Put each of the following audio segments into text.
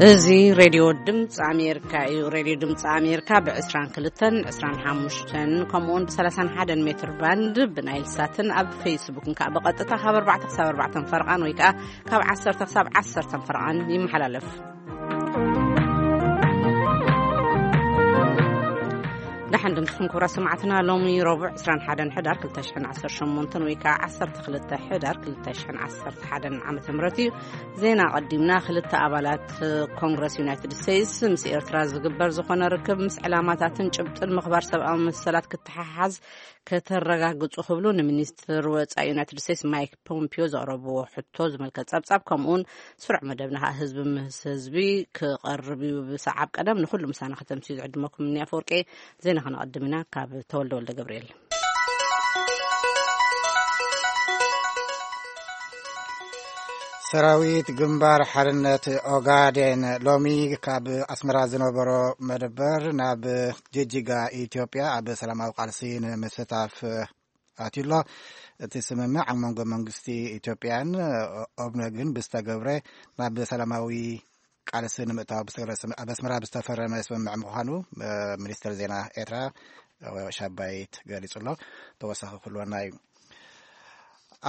እዚ ሬድዮ ድምፂ ኣሜሪካ እዩ። ሬድዮ ድምፂ ኣሜሪካ ብ22፣ 25 ከምኡውን ብ31 ሜትር ባንድ ብናይል ሳትን ኣብ ፌስቡክን ከዓ ብቐጥታ ካብ ኣርባዕተ ክሳብ ኣርባዕተ ፈርቓን ወይ ከዓ ካብ ዓሰርተ ክሳብ ዓሰርተ ፈርቓን ይመሓላለፍ። ደሓን ድምፅኹም ክቡራት ሰማዕትና። ሎሚ ረቡዕ 21 ሕዳር 2018 ወይ ከዓ 12 ሕዳር 2011 ዓመተ ምህረት እዩ። ዜና ቀዲምና። ክልተ ኣባላት ኮንግረስ ዩናይትድ ስቴትስ ምስ ኤርትራ ዝግበር ዝኾነ ርክብ ምስ ዕላማታትን ጭብጥን ምኽባር ሰብኣዊ መሰላት ክተሓሓዝ ከተረጋግጹ ክብሉ ንሚኒስትር ወጻኢ ዩናይትድ ስቴትስ ማይክ ፖምፒዮ ዘቕረብዎ ሕቶ ዝምልከት ጸብጻብ፣ ከምኡውን ስሩዕ መደብና ከዓ ህዝቢ ምስ ህዝቢ ክቐርብ እዩ። ብሰዓብ ቀደም ንኹሉ ምሳና ከተምስዩ ዝዕድመኩም እኒ ኣፈወርቂ። ዜና ከነቐድም ኢና። ካብ ተወልደ ወልደ ገብርኤል። ሰራዊት ግንባር ሓርነት ኦጋዴን ሎሚ ካብ ኣስመራ ዝነበሮ መደበር ናብ ጅጅጋ ኢትዮጵያ ኣብ ሰላማዊ ቃልሲ ንምስታፍ ኣትዩ ኣሎ። እቲ ስምምዕ ኣብ መንጎ መንግስቲ ኢትዮጵያን ኦብነግን ብዝተገብረ ናብ ሰላማዊ ቃልሲ ንምእታው ብዝተገብረ ስም-፣ ኣብ ኣስመራ ብዝተፈረመ ስምምዕ ምዃኑ፣ እ፣ ሚኒስትር ዜና ኤርትራ፣ እ፣ ሻባይት ገሊጹ ኣሎ። ተወሳኺ ክህልወና እዩ።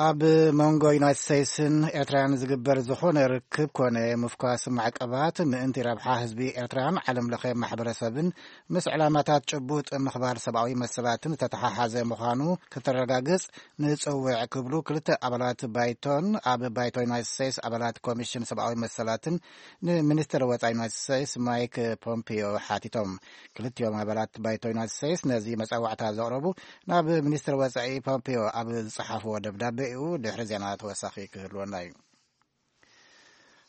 ኣብ መንጎ ዩናይትድ ስቴትስን ኤርትራን ዝግበር ዝኾነ ርክብ ኮነ ምፍኳስ ማዕቀባት ምእንቲ ረብሓ ህዝቢ ኤርትራን ዓለም ለኸ ማሕበረሰብን ምስ ዕላማታት ጭቡጥ ምኽባር ሰብኣዊ መሰላትን ዝተተሓሓዘ ምዃኑ ክተረጋግጽ ንጽውዕ ክብሉ ክልተ ኣባላት ባይቶን ኣብ ባይቶ ዩናይትድ ስቴትስ ኣባላት ኮሚሽን ሰብኣዊ መሰላትን ንሚኒስትር ወጻኢ ዩናይትድ ስቴትስ ማይክ ፖምፒዮ ሓቲቶም። ክልቲኦም ኣባላት ባይቶ ዩናይትድ ስቴትስ ነዚ መጸዋዕታ ዘቕረቡ ናብ ሚኒስትር ወጻኢ ፖምፒዮ ኣብ ዝጸሓፍዎ ደብዳቤ እዩ። ድሕሪ ዜና ተወሳኺ ክህልወና እዩ።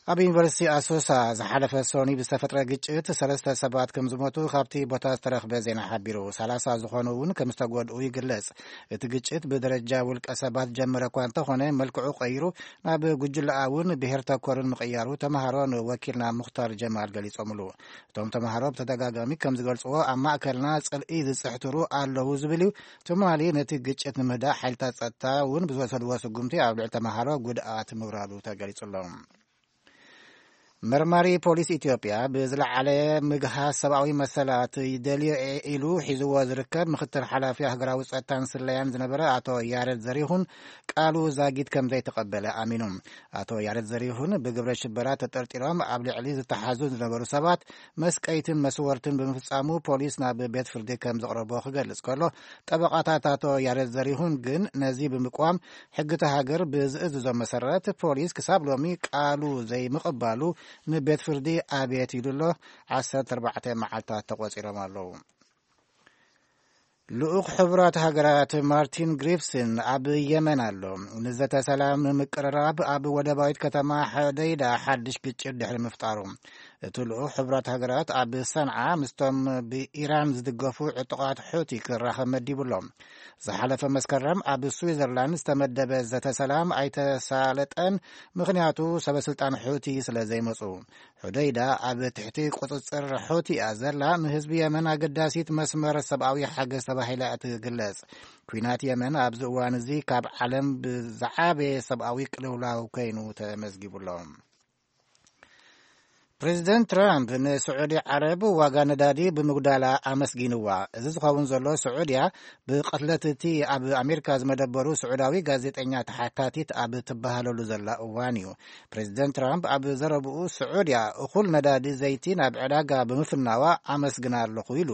ኣብ ዩኒቨርሲቲ ኣሶሳ ዝሓለፈ ሰኑይ ብዝተፈጥረ ግጭት ሰለስተ ሰባት ከም ዝሞቱ ካብቲ ቦታ ዝተረኽበ ዜና ሓቢሩ። ሰላሳ ዝኾኑ እውን ከም ዝተጎድኡ ይግለጽ። እቲ ግጭት ብደረጃ ውልቀ ሰባት ጀመረ እኳ እንተኾነ፣ መልክዑ ቀይሩ ናብ ጉጅለኣውን ብሄር ተኮርን ምቕያሩ ተምሃሮ ንወኪልና ሙኽታር ጀማል ገሊጾምሉ። እቶም ተምሃሮ ብተደጋጋሚ ከም ዝገልጽዎ፣ ኣብ ማእከልና ጽልኢ ዝጽሕትሩ ኣለዉ ዝብል እዩ። ትማሊ ነቲ ግጭት ንምህዳእ ሓይልታት ጸጥታ እውን ብዝወሰድዎ ስጉምቲ ኣብ ልዕሊ ተምሃሮ ጉድኣት ምውራዱ ተገሊጹ ኣሎ። መርማሪ ፖሊስ ኢትዮጵያ ብዝለዓለ ምግሃስ ሰብኣዊ መሰላት ይደልዮ እየ ኢሉ ሒዝዎ ዝርከብ ምክትል ሓላፊ ሃገራዊ ጸጥታን ስለያን ዝነበረ ኣቶ ያረድ ዘሪሁን ቃሉ ዛጊት ከም ዘይተቐበለ ኣሚኑ። ኣቶ ያረድ ዘሪሁን ብግብረ ሽበራ ተጠርጢሮም ኣብ ልዕሊ ዝተሓዙ ዝነበሩ ሰባት መስቀይትን መስወርትን ብምፍጻሙ ፖሊስ ናብ ቤት ፍርዲ ከም ዘቕረቦ ክገልጽ ከሎ፣ ጠበቓታት ኣቶ ያረድ ዘሪሁን ግን ነዚ ብምቅዋም ሕጊ እታ ሃገር ብዝእዝዞ መሰረት ፖሊስ ክሳብ ሎሚ ቃሉ ዘይምቕባሉ ንቤት ፍርዲ ኣብየት ኢሉ ኣሎ። 14 መዓልታት ተቖጺሮም ኣለዉ። ልኡኽ ሕቡራት ሃገራት ማርቲን ግሪፍስን ኣብ የመን ኣሎ። ንዘተ ሰላም ንምቅርራብ ኣብ ወደባዊት ከተማ ሐደይዳ ሓድሽ ግጭት ድሕሪ ምፍጣሩ፣ እቲ ልኡኽ ሕቡራት ሃገራት ኣብ ሰንዓ ምስቶም ብኢራን ዝድገፉ ዕጡቓት ሑቲ ክራኸብ መዲቡ ኣሎ። ዝሓለፈ መስከረም ኣብ ስዊዘርላንድ ዝተመደበ ዘተ ሰላም ኣይተሳለጠን፣ ምኽንያቱ ሰበ ስልጣን ሑቲ ስለ ዘይመጹ። ሑደይዳ ኣብ ትሕቲ ቁጽጽር ሑቲ እያ ዘላ። ንህዝቢ የመን ኣገዳሲት መስመር ሰብኣዊ ሓገዝ ተባሂላ እያ ትግለጽ። ኲናት የመን ኣብዚ እዋን እዚ ካብ ዓለም ብዝዓበየ ሰብኣዊ ቅልውላው ኮይኑ ተመዝጊቡ ኣሎ። ፕሬዚደንት ትራምፕ ንስዑዲ ዓረብ ዋጋ ነዳዲ ብምጉዳላ ኣመስጊንዋ። እዚ ዝኸውን ዘሎ ስዑድያ ብቕትለት እቲ ኣብ ኣሜሪካ ዝመደበሩ ስዑዳዊ ጋዜጠኛ ተሓታቲት ኣብ ትበሃለሉ ዘላ እዋን እዩ። ፕሬዚደንት ትራምፕ ኣብ ዘረብኡ ስዑድያ እኹል ነዳዲ ዘይቲ ናብ ዕዳጋ ብምፍናዋ ኣመስግና ኣለኹ ኢሉ።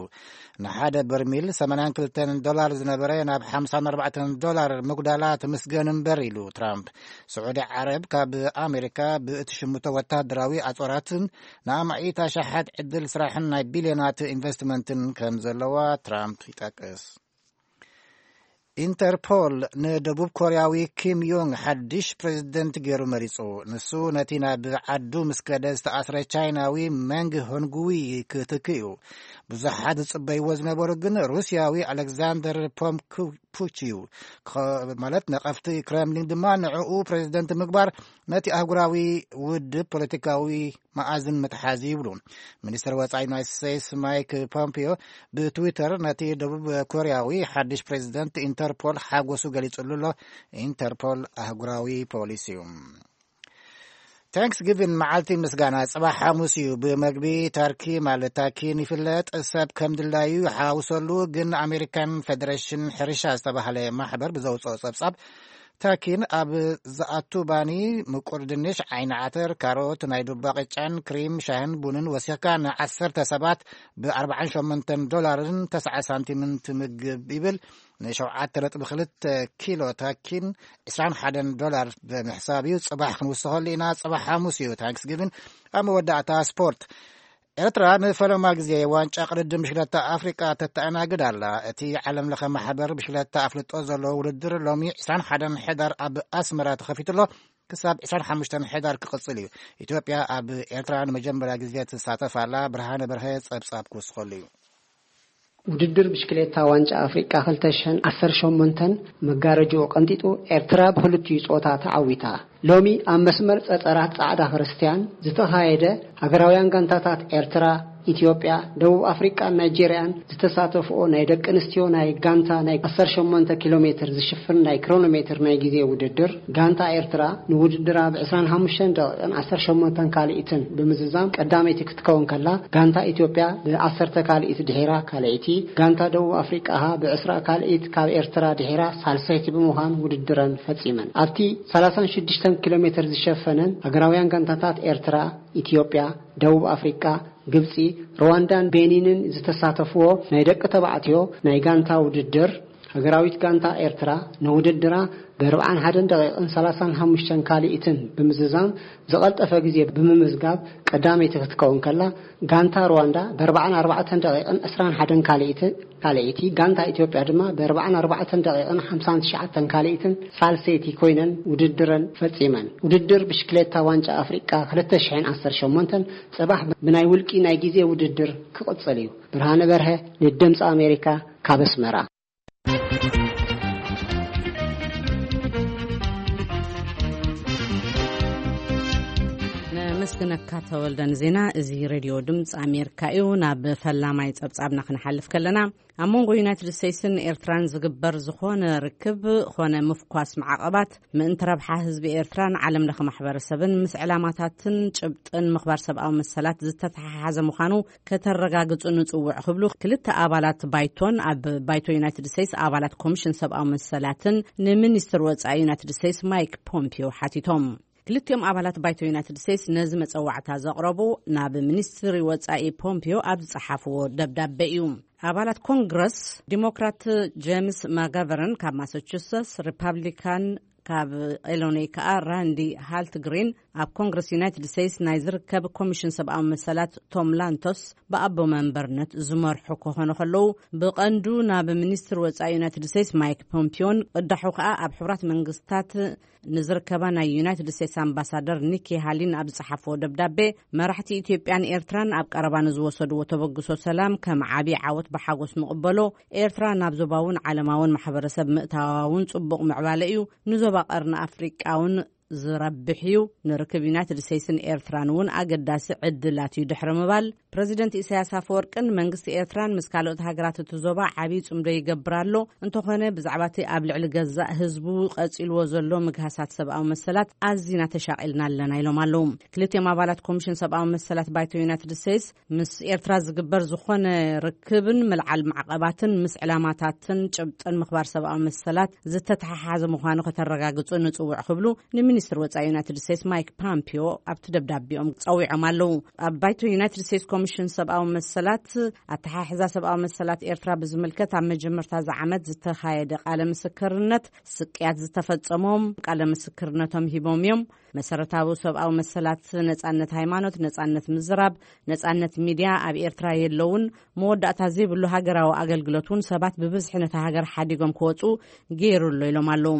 ንሓደ በርሚል 82 ዶላር ዝነበረ ናብ 54 ዶላር ምጉዳላ ትምስገን እምበር ኢሉ ትራምፕ። ስዑዲ ዓረብ ካብ ኣሜሪካ ብእትሽምቶ ወታደራዊ ኣጾራትን ንኣማኢት ኣሽሓት ዕድል ስራሕን ናይ ቢልዮናት ኢንቨስትመንትን ከም ዘለዋ ትራምፕ ይጠቅስ። ኢንተርፖል ንደቡብ ኮርያዊ ኪም ዮንግ ሓድሽ ፕሬዚደንት ገይሩ መሪጹ። ንሱ ነቲ ናብ ዓዱ ምስ ከደ ዝተኣስረ ቻይናዊ መንግ ሆንጉዊ ክትክ እዩ። ብዙሓት ዝጽበይዎ ዝነበሩ ግን ሩስያዊ ኣሌክዛንደር ፖምኩ ፑች እዩ። ክኸ-፣ ማለት ነቐፍቲ ክረምሊን ድማ ንዕኡ ፕሬዚደንት ምግባር ነቲ ኣህጉራዊ ውድብ ፖለቲካዊ መኣዝን ምትሓዝ ይብሉ። ሚኒስትር ወጻኢ ዩናይትድ ስቴትስ ማይክ ፖምፒዮ ብትዊተር ነቲ ደቡብ ኮርያዊ ሓድሽ ፕሬዚደንት ኢንተርፖል ሓጎሱ ገሊጹሉ ኣሎ። ኢንተርፖል ኣህጉራዊ ፖሊስ እዩ። ታንክስጊቪን መዓልቲ ምስጋና ጽባሕ ሓሙስ እዩ። ብመግቢ ተርኪ ማለት ታኪን ይፍለጥ። ሰብ ከም ድላዩ ይሓውሰሉ። ግን ኣሜሪካን ፌደሬሽን ሕርሻ ዝተባህለ ማሕበር ብዘውፅኦ ጸብጻብ፣ ታኪን ኣብ ዝኣቱ ባኒ፣ ምቁር ድንሽ፣ ዓይኒ ዓተር፣ ካሮት፣ ናይ ዱባ ቅጫን ክሪም ሻህን ቡንን ወሲኽካ ንዓሰርተ ሰባት ብ ኣርባዓን ሸሞንተን ዶላርን ተስዓ ሳንቲምን ትምግብ ይብል። ንሸውዓተ ነጥቢ ክልተ ኪሎ ታኪን ዕስራን ሓደን ዶላር ብምሕሳብ እዩ። ጽባሕ ክንውስኸሉ ኢና። ጽባሕ ሓሙስ እዩ ታንክስጊቪን። ኣብ መወዳእታ ስፖርት። ኤርትራ ንፈለማ ግዜ ዋንጫ ቅድድም ብሽክለታ ኣፍሪቃ ተተኣናግድ ኣላ። እቲ ዓለም ለኸ ማሕበር ብሽክለታ ኣፍልጦ ዘለዎ ውድድር ሎሚ ዕስራን ሓደን ሕዳር ኣብ ኣስመራ ተኸፊቱ ኣሎ። ክሳብ ዕስራን ሓሙሽተን ሕዳር ክቕጽል እዩ። ኢትዮጵያ ኣብ ኤርትራ ንመጀመርያ ግዜ ትሳተፍ ኣላ። ብርሃነ በርሀ ጸብጻብ ክውስኸሉ እዩ። ውድድር ብሽክሌታ ዋንጫ ኣፍሪቃ ክልተ ሽሕን ዓሰርተ ሸሞንተን መጋረጅኡ ቀንጢጡ ኤርትራ ብክልቲኡ ጾታ ተዓዊታ። ሎሚ ኣብ መስመር ጸጸራት ጻዕዳ ክርስትያን ዝተኻየደ ሃገራውያን ጋንታታት ኤርትራ፣ ኢትዮጵያ፣ ደቡብ ኣፍሪቃን ናይጄርያን ዝተሳተፍኦ ናይ ደቂ ኣንስትዮ ናይ ጋንታ ናይ ዓሰርተ ሸሞንተ ኪሎ ሜትር ዝሽፍን ናይ ክሮኖሜትር ናይ ግዜ ውድድር፣ ጋንታ ኤርትራ ንውድድራ ብ ዕስራን ሓሙሽተን ደቂቕን ዓሰርተ ሸሞንተን ካልኢትን ብምዝዛም ቀዳመይቲ ክትከውን ከላ፣ ጋንታ ኢትዮጵያ ብ ዓሰርተ ካልኢት ድሒራ ካልኣይቲ፣ ጋንታ ደቡብ ኣፍሪቃ ብ ዕስራ ካልኢት ካብ ኤርትራ ድሒራ ሳልሰይቲ ብምዃን ውድድረን ፈጺመን። ኣብቲ ሰላሳን ሽዱሽተን ኪሎ ሜትር ዝሸፈነን ሃገራውያን ጋንታታት ኤርትራ፣ ኢትዮጵያ፣ ደቡብ ኣፍሪቃ፣ ግብጺ፣ ሩዋንዳን ቤኒንን ዝተሳተፍዎ ናይ ደቂ ተባዕትዮ ናይ ጋንታ ውድድር፣ ሃገራዊት ጋንታ ኤርትራ ንውድድራ ብ ኣርባዓን ሓደን ደቂቕን ሰላሳን ሓሙሽተን ካልኢትን ብምዝዛም ዝቐልጠፈ ግዜ ብምምዝጋብ ቀዳመይቲ ክትከውን ከላ፣ ጋንታ ሩዋንዳ ብ ኣርባዓን ኣርባዕተን ደቂቕን ዕስራን ሓደን ካልኢትን ካልኣይቲ፣ ጋንታ ኢትዮጵያ ድማ ብ ኣርባዓን ኣርባዕተን ደቂቕን ሓምሳን ትሽዓተን ካልኢትን ሳልሰይቲ ኮይነን ውድድረን ፈጺመን። ውድድር ብሽክሌታ ዋንጫ ኣፍሪቃ ክልተ ሽሕን ዓሰርተ ሸሞንተን ጽባሕ ብናይ ውልቂ ናይ ግዜ ውድድር ክቕጽል እዩ። ብርሃነ በርሀ ንድምፂ ኣሜሪካ ካብ ኣስመራ። ነመስግነካ ተወልደ ንዜና። እዚ ሬድዮ ድምፂ ኣሜሪካ እዩ። ናብ ፈላማይ ጸብጻብና ክንሓልፍ ከለና፣ ኣብ መንጎ ዩናይትድ ስቴትስን ኤርትራን ዝግበር ዝኾነ ርክብ ኾነ ምፍኳስ ማዕቐባት ምእንቲ ረብሓ ህዝቢ ኤርትራን ዓለም ለኸ ማሕበረሰብን ምስ ዕላማታትን ጭብጥን ምኽባር ሰብኣዊ መሰላት ዝተተሓሓዘ ምዃኑ ከተረጋግጹ ንጽውዕ ክብሉ ክልተ ኣባላት ባይቶን ኣብ ባይቶ ዩናይትድ ስቴትስ ኣባላት ኮሚሽን ሰብኣዊ መሰላትን ንሚኒስትር ወጻኢ ዩናይትድ ስቴትስ ማይክ ፖምፒዮ ሓቲቶም። ክልቲኦም ኣባላት ባይቶ ዩናይትድ ስቴትስ ነዚ መጸዋዕታ ዘቕረቡ ናብ ሚኒስትሪ ወጻኢ ፖምፒዮ ኣብ ዝጸሓፍዎ ደብዳቤ እዩ። ኣባላት ኮንግረስ ዲሞክራት ጄምስ ማጋቨርን ካብ ማሳቹሰትስ፣ ሪፓብሊካን ካብ ኢሎኖይ ከኣ ራንዲ ሃልትግሪን፣ ኣብ ኮንግረስ ዩናይትድ ስቴትስ ናይ ዝርከብ ኮሚሽን ሰብኣዊ መሰላት ቶም ላንቶስ ብኣቦ መንበርነት ዝመርሑ ክኾኑ ከለዉ፣ ብቐንዱ ናብ ሚኒስትር ወጻኢ ዩናይትድ ስቴትስ ማይክ ፖምፒዮን ቅዳሑ ከኣ ኣብ ሕቡራት መንግስታት ንዝርከባ ናይ ዩናይትድ ስቴትስ ኣምባሳደር ኒኪ ሃሊን ኣብ ዝጸሓፍዎ ደብዳቤ፣ መራሕቲ ኢትዮጵያን ኤርትራን ኣብ ቀረባ ንዝወሰድዎ ተበግሶ ሰላም ከም ዓቢ ዓወት ብሓጎስ ንቕበሎ፣ ኤርትራ ናብ ዞባውን ዓለማውን ማሕበረሰብ ምእታዋ እውን ጽቡቕ ምዕባለ እዩ፣ ንዞባ ቀርኒ ኣፍሪቃ እውን ዝረብሕ እዩ፣ ንርክብ ዩናይትድ ስቴትስን ኤርትራን እውን ኣገዳሲ ዕድላት እዩ ድሕሪ ምባል፣ ፕረዚደንት ኢሳያስ ኣፈወርቅን መንግስቲ ኤርትራን ምስ ካልኦት ሃገራት እቲ ዞባ ዓብዪ ጽምዶ ይገብር ኣሎ። እንተኾነ፣ ብዛዕባ እቲ ኣብ ልዕሊ ገዛእ ህዝቡ ቀጺልዎ ዘሎ ምግሃሳት ሰብኣዊ መሰላት ኣዚና ተሻቒልና ኣለና ኢሎም ኣለዉ። ክልቲኦም ኣባላት ኮሚሽን ሰብኣዊ መሰላት ባይቶ ዩናይትድ ስቴትስ ምስ ኤርትራ ዝግበር ዝኾነ ርክብን ምልዓል ማዕቐባትን ምስ ዕላማታትን ጭብጥን ምኽባር ሰብኣዊ መሰላት ዝተተሓሓዘ ምዃኑ ከተረጋግጹ ንጽውዕ ክብሉ ንሚኒስትር ወጻኢ ዩናይትድ ስቴትስ ማይክ ፓምፒዮ ኣብቲ ደብዳቤኦም ጸዊዖም ኣለዉ። ኣብ ባይቶ ዩናይትድ ስቴትስ ኮሚሽን ሰብኣዊ መሰላት ኣተሓሕዛ ሰብኣዊ መሰላት ኤርትራ ብዝምልከት ኣብ መጀመርታ እዚ ዓመት ዝተኻየደ ቃለ ምስክርነት ስቅያት ዝተፈጸሞም ቃለ ምስክርነቶም ሂቦም እዮም። መሰረታዊ ሰብኣዊ መሰላት፣ ነጻነት ሃይማኖት፣ ነጻነት ምዝራብ፣ ነጻነት ሚድያ ኣብ ኤርትራ የለውን። መወዳእታ ዘይብሉ ሃገራዊ ኣገልግሎት እውን ሰባት ብብዝሒ ነታ ሃገር ሓዲጎም ክወጹ ገይሩ ኣሎ ኢሎም ኣለዉ።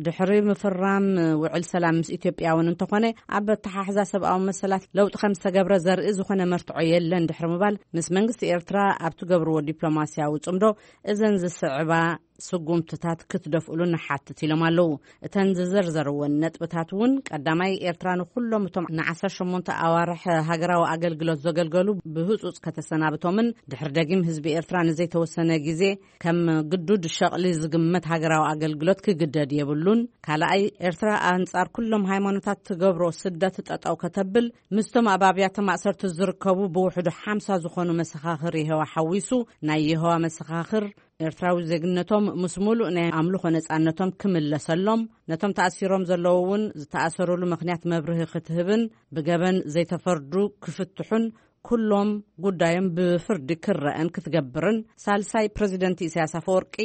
ድሕሪ ምፍራም ውዕል ሰላም ምስ ኢትዮጵያ እውን እንተኾነ ኣብ ኣተሓሕዛ ሰብኣዊ መሰላት ለውጢ ከም ዝተገብረ ዘርኢ ዝኾነ መርትዖ የለን ድሕሪ ምባል ምስ መንግስቲ ኤርትራ ኣብ ትገብርዎ ዲፕሎማስያዊ ጽምዶ እዘን ዝስዕባ ስጉምትታት ክትደፍእሉ ንሓትት ኢሎም ኣለዉ። እተን ዝዘርዘርወን ነጥብታት እውን ቀዳማይ ኤርትራ ንኩሎም እቶም ን ዓሰርተ ሸሞንተ ኣዋርሕ ሃገራዊ ኣገልግሎት ዘገልገሉ ብህጹጽ ከተሰናብቶምን ድሕሪ ደጊም ህዝቢ ኤርትራ ንዘይተወሰነ ግዜ ከም ግዱድ ሸቕሊ ዝግመት ሃገራዊ ኣገልግሎት ክግደድ የብሉን። ካልኣይ ኤርትራ ኣንጻር ኩሎም ሃይማኖታት ትገብሮ ስደት ጠጠው ከተብል ምስቶም ኣብ ኣብያተ ማእሰርቲ ዝርከቡ ብውሕዱ ሓምሳ ዝኾኑ መሰኻኽር የሆዋ ሓዊሱ ናይ የሆዋ መሰኻኽር ኤርትራዊ ዜግነቶም ምስ ሙሉእ ናይ ኣምልኾ ነጻነቶም ክምለሰሎም፣ ነቶም ተኣሲሮም ዘለዉ እውን ዝተኣሰሩሉ ምኽንያት መብርሂ ክትህብን ብገበን ዘይተፈርዱ ክፍትሑን ኩሎም ጉዳዮም ብፍርዲ ክረአን ክትገብርን፣ ሳልሳይ ፕረዚደንት ኢሳያስ ኣፈወርቂ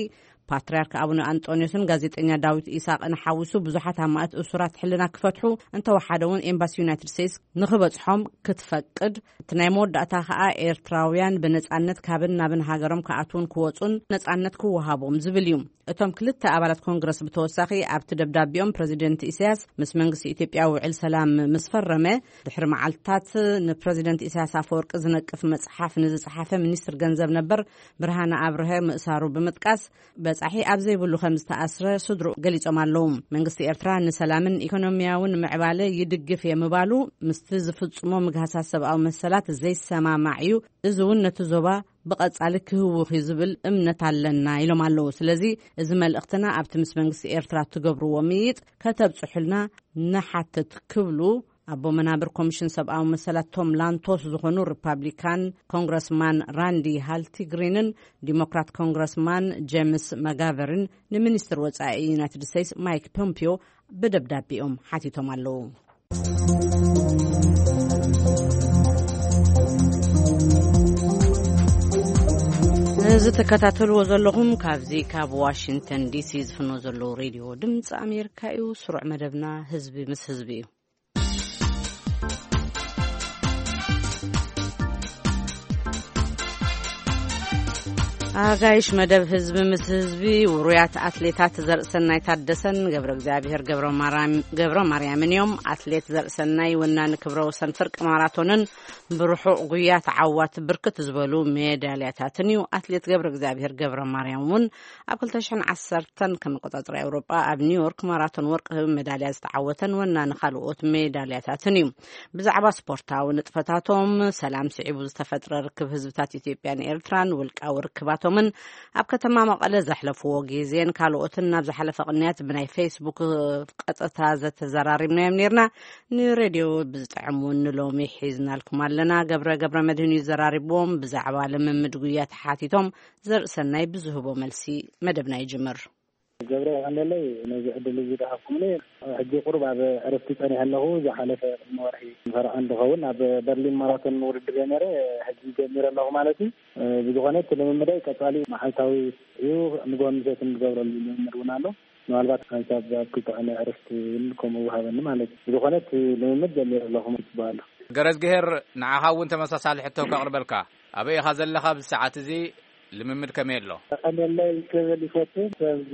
ፓትርያርክ ኣቡነ ኣንጦንዮስን ጋዜጠኛ ዳዊት ኢሳቕን ሓዊሱ ብዙሓት ኣማእት እሱራት ሕልና ክፈትሑ፣ እንተወሓደ እውን ኤምባሲ ዩናይትድ ስቴትስ ንኽበጽሖም ክትፈቅድ፣ እቲ ናይ መወዳእታ ከኣ ኤርትራውያን ብነጻነት ካብን ናብን ሃገሮም ክኣትዉን ክወጹን ነጻነት ክወሃቦም ዝብል እዩ። እቶም ክልተ ኣባላት ኮንግረስ ብተወሳኺ ኣብቲ ደብዳቤኦም ፕረዚደንት ኢሳያስ ምስ መንግስቲ ኢትዮጵያ ውዕል ሰላም ምስ ፈረመ ድሕሪ መዓልትታት ንፕረዚደንት ኢሳያስ ኣፈወርቂ ዝነቅፍ መጽሓፍ ንዝጸሓፈ ሚኒስትር ገንዘብ ነበር ብርሃነ ኣብርሀ ምእሳሩ ብምጥቃስ በጻሒ ኣብ ዘይብሉ ከም ዝተኣስረ ስድሩ ገሊጾም ኣለዉ። መንግስቲ ኤርትራ ንሰላምን ኢኮኖሚያውን ምዕባለ ይድግፍ እየ ምባሉ ምስቲ ዝፍጽሞ ምግሃሳት ሰብኣዊ መሰላት ዘይሰማማዕ እዩ። እዚ እውን ነቲ ዞባ ብቐጻሊ ክህውኽ እዩ ዝብል እምነት ኣለና ኢሎም ኣለዉ። ስለዚ እዚ መልእኽትና ኣብቲ ምስ መንግስቲ ኤርትራ እትገብርዎ ምይይጥ ከተብጽሑልና ንሓትት ክብሉ ኣቦ መናብር ኮሚሽን ሰብኣዊ መሰላት ቶም ላንቶስ ዝኾኑ ሪፓብሊካን ኮንግረስማን ራንዲ ሃልቲ ግሪንን ዲሞክራት ኮንግረስማን ጄምስ መጋቨርን ንሚኒስትር ወጻኢ ዩናይትድ ስቴትስ ማይክ ፖምፒዮ ብደብዳቤኦም ሓቲቶም ኣለዉ። እዚ ትከታተልዎ ዘለኹም ካብዚ ካብ ዋሽንግተን ዲሲ ዝፍኖ ዘለዉ ሬድዮ ድምፂ ኣሜሪካ እዩ። ስሩዕ መደብና ህዝቢ ምስ ህዝቢ እዩ። ኣጋይሽ መደብ ህዝቢ ምስ ህዝቢ ውሩያት ኣትሌታት ዘርእሰናይ ታደሰን ገብረ እግዚኣብሔር ገብረ ማርያም፣ ገብረ ማርያምን እዮም። ኣትሌት ዘርእሰናይ ወናኒ ክብረ ወሰን ፍርቂ ማራቶንን ብርሑቕ ጉያ ተዓዋቲ ብርክት ዝበሉ ሜዳልያታትን እዩ። ኣትሌት ገብረ እግዚኣብሔር ገብረ ማርያም እውን ኣብ ክልተ ሽሕን ዓሰርተን ከም ኣቆጻጽራ ኤውሮጳ ኣብ ኒውዮርክ ማራቶን ወርቂ ሜዳልያ ዝተዓወተን ወናኒ ካልኦት ሜዳልያታትን እዩ። ብዛዕባ ስፖርታዊ ንጥፈታቶም፣ ሰላም ስዒቡ ዝተፈጥረ ርክብ ህዝብታት ኢትዮጵያን ኤርትራን፣ ውልቃዊ ርክባቶምን ኣብ ከተማ መቐለ ዘሕለፍዎ ግዜን ካልኦትን ናብ ዝሓለፈ ቅንያት ብናይ ፌስቡክ ቀጥታ ዘተዘራሪብናዮም ነርና። ንሬድዮ ብዝጥዕም እውን ንሎሚ ሒዝናልኩም ኣለና። ገብረ ገብረ መድህን እዩ ዘራሪብዎም። ብዛዕባ ልምምድ ጉያ ተሓቲቶም ዘርእሰናይ ብዝህቦ መልሲ መደብና ይጅምር። ገብረ፣ የቐንየለይ ነዚ ዕድል እዚ ዝሃብኩምኒ። ሕጂ ቁሩብ ኣብ ዕረፍቲ ጸኒሐ ኣለኹ። ዝሓለፈ ቅድሚ ወርሒ ፈረቓ እንትኸውን ኣብ በርሊን ማራቶን ውድድር እየ ነይረ። ሕጂ ጀሚረ ኣለኹ ማለት እዩ። ብዝኾነ እቲ ልምምደይ ቀጻሊ መዓልታዊ እዩ። ንግሆን ምሸትን ዝገብረሉ ልምምድ እውን ኣሎ። ምናልባት ሓንሳብ ኣብ ክልተ ቀነ ዕረፍቲ እውን ከምኡ ይወሃበኒ ማለት እዩ። ብዝኾነ እቲ ልምምድ ጀሚረ ኣለኹ ማለት ይበሃል። ገረዝግሄር፣ ንዓኻ እውን ተመሳሳሊ ሕቶ ከቕርበልካ። ኣበይ ኢኻ ዘለኻ ኣብዚ ሰዓት እዚ? ልምምድ ከመይ ኣሎ? ቀንየለይ ክብል ይፈቱ። ኣብዚ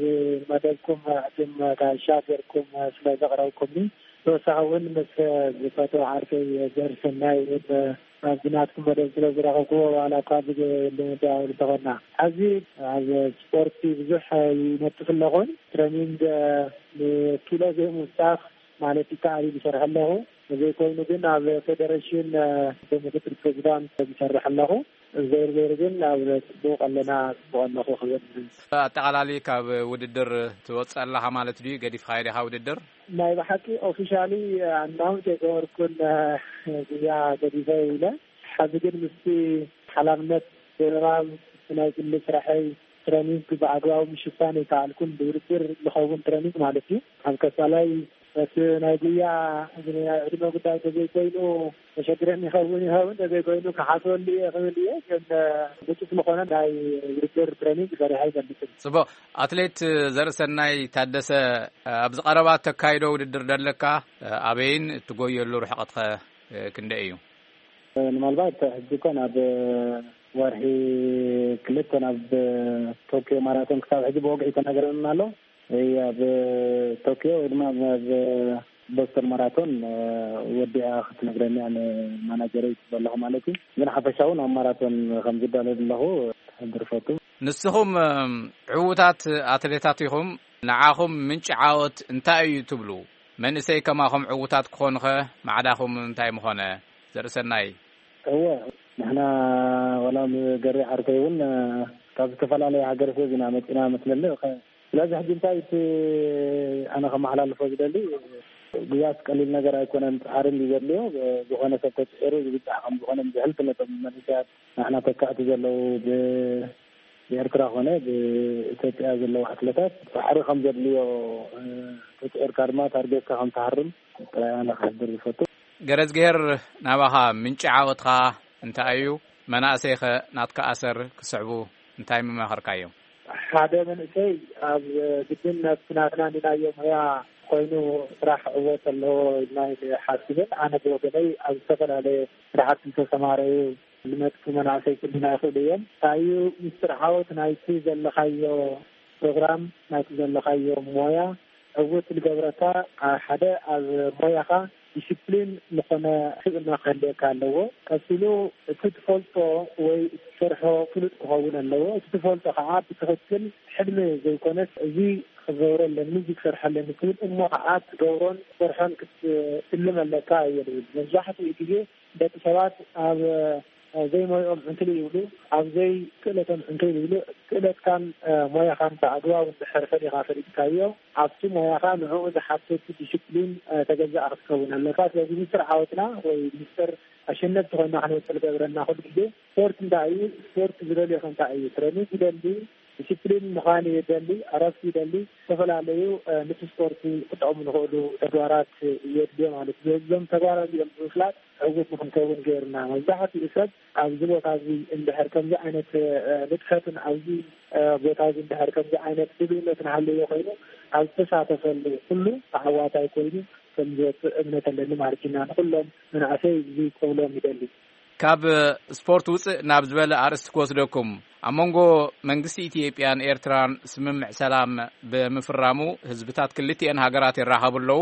መደብኩም ዕድም ጋሻ ጌርኩም ስለ ዘቕረብኩምኒ፣ ተወሳኺ እውን ምስ ዝፈትዎ ዓርከይ ዘርሰናይ እውን ኣብዚ ናትኩም መደብ ስለ ዝረኸብኩዎ፣ ዋላ እኳ ብዘይ ልምምድ እንተኾንና፣ ኣብዚ ኣብ ስፖርቲ ብዙሕ ይነጥፍ ኣለኹን። ትሬኒንግ ንኪሎ ዘይምውሳኽ ማለት ይከኣል እዩ ዝሰርሕ ኣለኹ። ዘይኮይኑ ግን ኣብ ፌደሬሽን፣ እ፣ ብምክትል ፕሬዚዳንት ዝሰርሕ ኣለኹ። ዘይሩ ዘይሩ ግን ኣብ ጽቡቕ ኣለና፣ ጽቡቕ ኣለኹ ክብል። ኣጠቓላሊ ካብ ውድድር ትወጽእ ኣለኻ ማለት ድዩ? ገዲፍካ ዲኻ ውድድር? ናይ ብሓቂ ኦፊሻሊ ኣናውንስ የገበርኩን፣ እ፣ ጉያ ገዲፈ ኢለ። ሕዚ ግን ምስቲ ሓላፍነት ብምባል ናይ ግሊ ስራሐይ ትረኒንግ ብኣግባቡ ምሽፋን ኣይከኣልኩን። ብውድድር ዝኸውን ትረኒንግ ማለት እዩ። ኣብ ቀጻላይ እቲ ናይ ጉያ ዕድመ ጉዳይ እንተዘይኮይኑ፣ ተሸግረኒ ይኸውን ይኸውን፣ እንተዘይኮይኑ ክሓስበሉ እየ ክብል እየ። ግን ንጹፍ ዝኾነ ናይ ውድድር ትረኒንግ ሰሪሐ ኣይፈልጥን። ጽቡቕ። ኣትሌት ዘርእሰናይ ታደሰ፣ ኣብዚ ቀረባ እተካይዶ ውድድር ደለካ፣ ኣበይን እትጎየሉ ርሕቐትኸ ክንደይ እዩ? ምናልባት ሕጂ እኮ ናብ ወርሒ ክልተ ናብ ቶኪዮ ማራቶን ክሳብ ሕጂ ብወግዒ ተነግረና ኣሎ። ወይ ኣብ ቶኪዮ ወይ ድማ ኣብ ቦስተን ማራቶን ወዲኣ ክትነግረኒ እያ ንማናጀረይ ትብል ኣለኹ ማለት እዩ። ግን ሓፈሻውን ኣብ ማራቶን ከም ዝዳለል ኣለኹ። ክድርፈቱ። ንስኹም፣ እም፣ ዕዉታት ኣትሌታት ኢኹም። ንዓኹም ምንጪ ዓወት እንታይ እዩ ትብሉ? መንእሰይ ከማኹም ዕዉታት ክኾኑኸ ማዕዳኹም እንታይ ምኾነ? ዘርእሰናይ። እወ፣ ንሕና ዋላ ኣብ ገሬ ዓርከይ እውን፣ እ፣ ካብ ዝተፈላለየ ሃገረ ሰብ ኢና መጺና መስለኒ። ከ-፣ ስለዚ ሕጂ እንታይ እቲ ኣነ ከመሓላልፎ ዝደሊ፣ ጉያስ ቀሊል ነገር ኣይኮነን፣ ጻዕሪ እንዲ ዘድልዮ፣ ብ-፣ ዝኾነ ሰብ ተጽዒሩ ዝብጻሕ ከም ዝኾነ ብዝሕልፍ ነቶም መንእሰያት ንሕና ተካእቲ ዘለዉ ብ-፣ ብኤርትራ ኮነ ብኢትዮጵያ ዘለዉ ኣትለታት ጻዕሪ ከም ዘድልዮ፣ እ፣ ተጽዒርካ ድማ ታርጌትካ ከም ትሃርም ጥራይ ኣነ ክሕብር ዝፈቱ። ገረዝግሄር፣ ናባኻ ምንጪ ዓወትኻ እንታይ እዩ? መናእሰይኸ ናትካ ኣሰር ክስዕቡ እንታይ ምመኸርካዮም? ሓደ መንእሰይ ኣብ ግድን ናብቲ ናትና እንድናዮ ሞያ ኮይኑ ስራሕ ዕወት ኣለዎ ኢልና ኣይንሓስብን። ኣነ ብወገነይ ኣብ ዝተፈላለየ ስራሕቲ ዝተሰማረዩ ዝመጽኡ መናእሰይ ክህሉና ይኽእሉ እዮም። እንታይ እዩ ምስጢር ዓወት ናይቲ ዘለኻዮ ፕሮግራም፣ ናይቲ ዘለኻዮ ሞያ ዕውት ዝገብረካ? አ፣ ሓደ ኣብ ሞያኻ ዲስፕሊን ዝኾነ ስብእና ክህልየካ ኣለዎ። ቀጺሉ እቲ ትፈልጦ ወይ እቲ ትሰርሖ ፍሉጥ ክኸውን ኣለዎ። እቲ ትፈልጦ ከዓ ብትኽክል ሕልሚ ዘይኮነስ፣ እዚ ክገብሮ ኣለኒ፣ እዚ ክሰርሖ ኣለኒ ትብል እሞ ከዓ ትገብሮን ትሰርሖን ክትትልም ኣለካ እየ ዝብል። መብዛሕትኡ ግዜ ደቂ ሰባት ኣብ፣ እ፣ ዘይሞይኦም ዕንክሊል ይብሉ፣ ኣብ ዘይክእለቶም ዕንክሊል ይብሉ። ክእለትካን፣ እ፣ ሞያኻን ብኣግባቡ እንድሕር ፈሊኻ ፈሊጥካዮ፣ ኣብቲ ሞያኻ ንዕኡ ዝሓትት ዲስፕሊን፣ እ፣ ተገዛእ ክትከውን ኣለካ። ስለዚ ምስጢር ዓወትና ወይ ምስጢር ኣሸነፍቲ ኮይና ክንወፅእ ዝገብረና ኩሉ ግዜ ስፖርት እንታይ እዩ? ስፖርት ዝደልዮ ከ እንታይ እዩ? ትሬኒንግ ይደሊ፣ ዲስፕሊን ምዃን ይደሊ፣ ዕረፍቲ ይደሊ፣ ዝተፈላለዩ፣ እ፣ ነቲ ስፖርት ክጠቕሙ ዝኽእሉ ተግባራት የድልዮ ማለት እዩ። እዞም ተግባራት እዚኦም ብምፍላጥ ዕዉት ንክንከውን ገይሩና። መብዛሕትኡ ሰብ ኣብዚ ቦታ እዚ እንድሕር ከምዚ ዓይነት፣ እ፣ ንጥፈትን ኣብዚ፣ እ፣ ቦታ እዚ እንድሕር ከምዚ ዓይነት ድልውነትን ሃለዮ ኮይኑ ኣብ ዝተሳተፈሉ ኩሉ ተዓዋታይ ኮይኑ ከም ዝወፅእ እምነት ኣለኒ ማለት ኢና። ንኩሎም መናእሰይ እዚ ክብሎም ይደሊ። ካብ ስፖርት ውፅእ ናብ ዝበለ ኣርእስቲ ክወስደኩም። ኣብ መንጎ መንግስቲ ኢትዮጵያን ኤርትራን ስምምዕ ሰላም ብምፍራሙ ህዝብታት ክልቲኤን ሃገራት ይራኸቡ ኣለዉ።